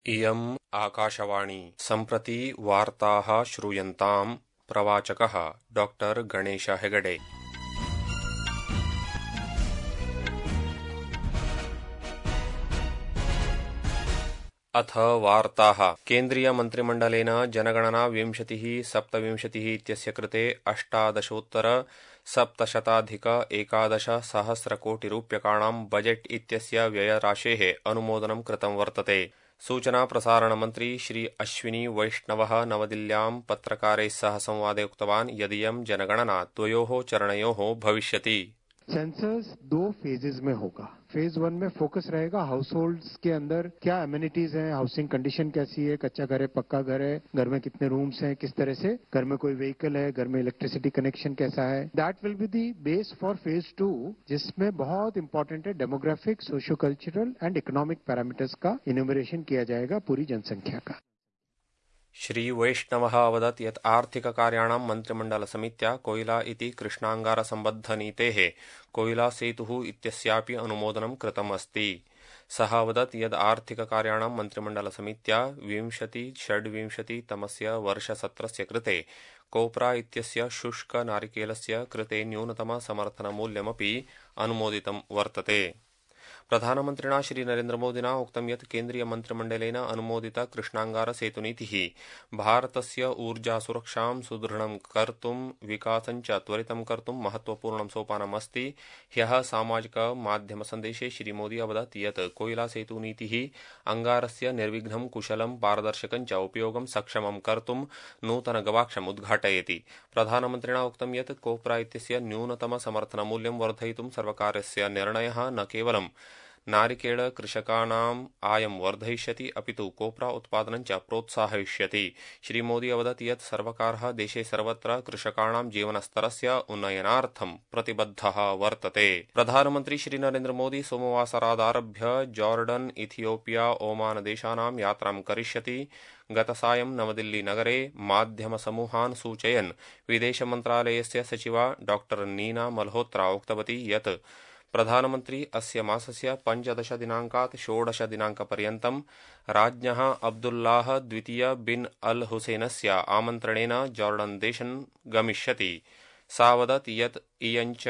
इयम् आकाशवाणी सम्प्रति वार्ताः श्रूयन्ताम् प्रवाचकः डॉक्टर गणेश हेगडे। अथ वार्ताः। केन्द्रीय मन्त्रिमण्डलेन जनगणना 2027 इत्यस्य कृते 18,711,000 बजेट् इत्यस्य व्ययराशेः अनुमोदनं कृतं वर्तते। सूचना प्रसारण मंत्री श्री अश्विनी वैष्णवः नवदिल्ल्यां पत्रकारैः सह संवादे उक्तवान् यदियं जनगणना द्वयोः चरणयोः भविष्यति। सेंसस 2 फेजेस में होगा। फेज 1 में फोकस रहेगा हाउस होल्ड्स के अंदर क्या एमिनिटीज हैं, हाउसिंग कंडीशन कैसी है, कच्चा घर है, पक्का घर है, घर में कितने रूम्स हैं, किस तरह से घर में कोई व्हीकल है, घर में इलेक्ट्रिसिटी कनेक्शन कैसा है। That will be the base for phase 2, जिसमें बहुत इंपॉर्टेंट है demographic, socio cultural and economic parameters का इन्यूमरेशन किया जाएगा पूरी जनसंख्या का। श्री वैष्णवः अवदत् यत् आर्थिककार्याणां मन्त्रिमण्डलसमित्या कोयला इति कृष्णाङ्गारसम्बद्धनीतेः कोयला सेतुः इत्यस्यापि अनुमोदनं कृतम् अस्ति। सः अवदत् यद् आर्थिककार्याणां मन्त्रिमण्डलसमित्या 2026 वर्षसत्रस्य कृते कोप्रा इत्यस्य शुष्कनारिकेलस्य कृते न्यूनतमसमर्थनमूल्यमपि अनुमोदितं वर्तते। प्रधानमन्त्रिणा श्री नरेन्द्रमोदिना उक्तं यत् केन्द्रीयमन्त्रिमण्डलेन अनुमोदिता कृष्णाङ्गारसेतुनीतिः भारतस्य ऊर्जासुरक्षां सुदृढं कर्तुं विकासं च त्वरितं कर्तुं महत्वपूर्णं सोपानमस्ति। ह्यः सामाजिकमाध्यमसन्देशे श्रीमोदी अवदत् यत् कोयलासेतुनीतिः अंगारस्य निर्विघ्नं कुशलं पारदर्शकं च उपयोगं सक्षमं कर्तुं नूतनगवाक्षम् उद्घाटयति। प्रधानमन्त्रिणा उक्तं यत् कोप्रा इत्यस्य न्यूनतमसमर्थनमूल्यं वर्धयितुं सर्वकारस्य निर्णयः न केवलं नारिकेल कृषकाणाम् आयं वर्धयिष्यति अपितु कोप्रा उत्पादनं च प्रोत्साहयिष्यति। श्री मोदी अवदत् यत् सर्वकारः देशे सर्वत्र कृषकाणां जीवनस्तरस्य उन्नयनार्थं प्रतिबद्धः वर्तते। प्रधानमन्त्री श्री नरेन्द्र मोदी सोमवासरादारभ्य जॉर्डन, इथियोपिया, ओमान देशानां यात्रां करिष्यति। गतसायं नवदिल्ली-नगरे माध्यमसमूहान् सूचयन् विदेशमन्त्रालयस्य सचिवा डॉक्टर नीना मल्होत्रा उक्तवती यत् प्रधानमन्त्री अस्य मासस्य 15 दिनाङ्कात् 16 दिनाङ्कपर्यन्तं राज्ञः अब्दुल्लाह द्वितीय बिन अल हुसैनस्य आमन्त्रणेन जॉर्डन देशं गमिष्यति। सा वदत् यत् इयञ्च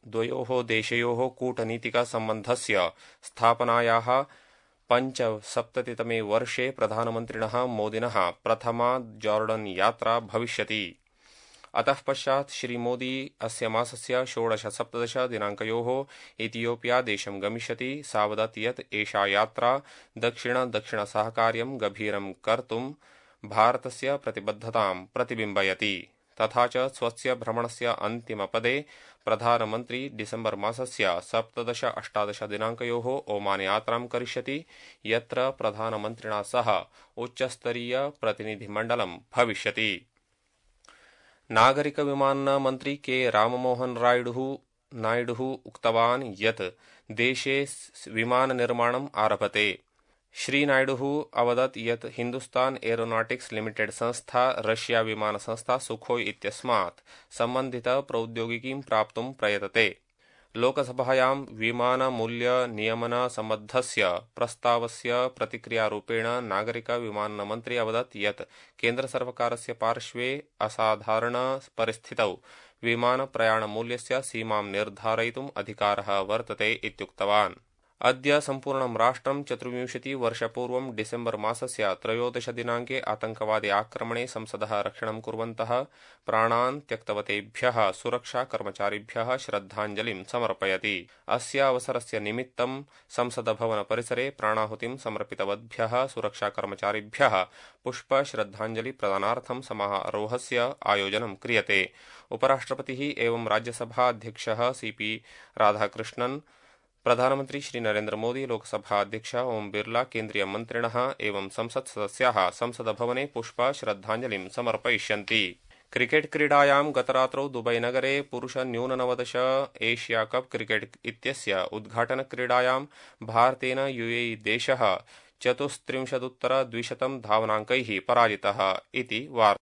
द्वयोः देशयोः कूटनीतिकसम्बन्धस्य स्थापनायाः 75तमे वर्षे प्रधानमन्त्रिणः मोदिनः प्रथमा जॉर्डन यात्रा भविष्यति। अतः पश्चात् श्री मोदी अस्य मासस्य 16-17 दिनाङ्कयोः इथियोपिया देशं गमिष्यति। सा वदत् यत् एषा यात्रा दक्षिण-दक्षिण-सहकार्यं गभीरं कर्तुं भारतस्य प्रतिबद्धतां प्रतिबिम्बयति। तथा च स्वस्य भ्रमणस्य अन्तिमपदे प्रधानमन्त्री डिसेम्बर मासस्य 17-18 दिनाङ्कयोः ओमान यात्रां करिष्यति, यत्र प्रधानमन्त्रिणा सह उच्चस्तरीय प्रतिनिधिमण्डलं भविष्यति। नागरिक विमानन मन्त्री के राममोहन नायडुः उक्तवान् यत् देशे विमाननिर्माणम् आरभते। श्री नायडुः अवदत् यत् हिन्दुस्तान एरोनॉटिक्स लिमिटेड संस्था रशिया विमानसंस्था सुखोई इत्यस्मात् सम्बन्धित प्रौद्योगिकीं प्राप्तुं प्रयतते। लोकसभायां विमानमूल्यनियमनसम्बद्धस्य प्रस्तावस्य प्रतिक्रियारूपेण नागरिक विमाननमन्त्री अवदत् यत् केन्द्रसर्वकारस्य पार्श्वे असाधारणपरिस्थितौ विमानप्रयाणमूल्यस्य सीमां निर्धारयितुम् अधिकारः वर्तते इत्युक्तवान्। अद्य सम्पूर्णं राष्ट्रं 24 वर्षपूर्वं डिसेम्बर मासस्य 13 दिनाङ्के आतङ्कवादी आक्रमणे संसदः रक्षणं कुर्वन्तः प्राणान् त्यक्तवतेभ्यः सुरक्षाकर्मचारिभ्यः श्रद्धाञ्जलिं समर्पयति। अस्य अवसरस्य निमित्तं संसदभवनपरिसरे प्राणाहुतिं समर्पितवद्भ्यः सुरक्षाकर्मचारिभ्यः पुष्पश्रद्धाञ्जलिप्रदानार्थं समारोहस्य आयोजनं क्रियते। उपराष्ट्रपतिः एवं राज्यसभा अध्यक्षः सीपी राधाकृष्णन्, प्रधानमन्त्री श्री नरेन्द्र मोदी, लोकसभा अध्यक्ष ओम बिरला, केन्द्रीय मन्त्रिणः एवं संसत् सदस्याः संसदभवने पुष्प श्रद्धाञ्जलिं समर्पयिष्यन्ति। क्रिकेट क्रीडायां गतरात्रौ दुबईनगरे पुरुष न्यून-19 एशिया कप क्रिकेट इत्यस्य उद्घाटनक्रीडायां भारतेन यूएई देशः 34-200 धावनाङ्कैः पराजितः इति वार्ता।